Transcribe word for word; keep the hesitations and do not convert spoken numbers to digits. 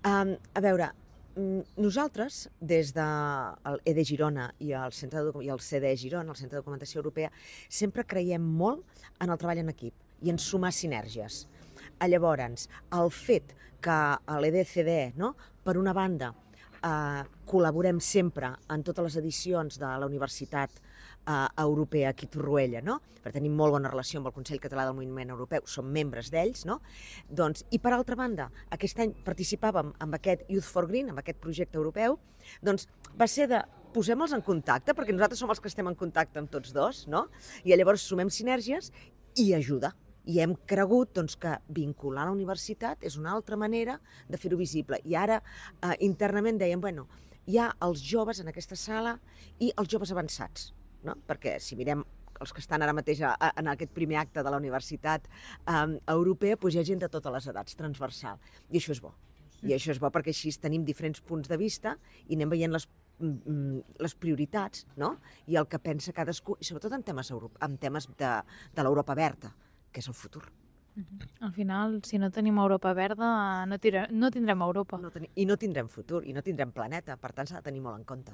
Um, a veure, mm, nosaltres, des del E D Girona i el, Centre de, Docu- i el C D E Girona, el Centre de Documentació Europea, sempre creiem molt en el treball en equip i en sumar sinergies. A Llavors, el fet que a l'E D C D, no, per una banda, eh, col·laborem sempre en totes les edicions de la Universitat eh, Europea aquí a Torroella, no? Per tenim molt bona relació amb el Consell Català del Moviment Europeu, som membres d'ells, no? Doncs, i per altra banda, aquest any participàvem amb aquest Youth for Green, amb aquest projecte europeu, doncs va ser de posem-los en contacte, perquè nosaltres som els que estem en contacte amb tots dos, no? I llavors sumem sinergies i ajuda. I hem cregut doncs, que vincular la universitat és una altra manera de fer-ho visible. I ara eh, internament dèiem, bueno, hi ha els joves en aquesta sala i els joves avançats, no? Perquè si mirem els que estan ara mateix a, a, en aquest primer acte de la Universitat eh, Europea, doncs hi ha gent de totes les edats, transversal. I això és bo. I això és bo perquè així tenim diferents punts de vista i anem veient les les prioritats, no? I el que pensa cadascú, i sobretot en temes, euro, en temes de, de l'Europa verda, que és el futur. Al final, si no tenim Europa verda, no, tira, no tindrem Europa. No teni I no tindrem futur, i no tindrem planeta, per tant s'ha de tenir molt en compte.